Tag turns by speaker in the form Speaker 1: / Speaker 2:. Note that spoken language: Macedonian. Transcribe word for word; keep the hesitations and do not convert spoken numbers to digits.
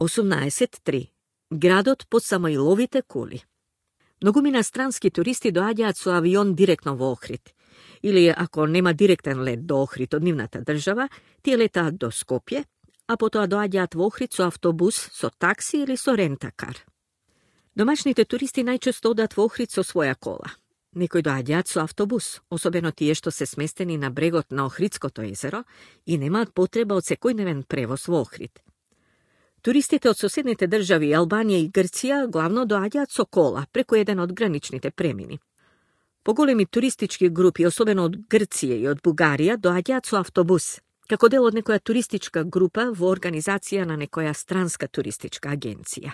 Speaker 1: осумнаесет три. Градот по Самоиловите кули. Многумина странски туристи доаѓаат со авион директно во Охрид. Или ако нема директен лет до Охрид од нивната држава, тие летаат до Скопје, а потоа доаѓаат во Охрид со автобус, со такси или со рентакар. Домашните туристи најчесто одат во Охрид со своја кола. Некои доаѓаат со автобус, особено тие што се сместени на брегот на Охридското езеро и немаат потреба од секојдневен превоз во Охрид. Туристите од соседните држави Албанија и Грција главно доаѓаат со кола преку еден од граничните премини. Поголеми туристички групи, особено од Грција и од Бугарија, доаѓаат со автобус, како дел од некоја туристичка група во организација на некоја странска туристичка агенција.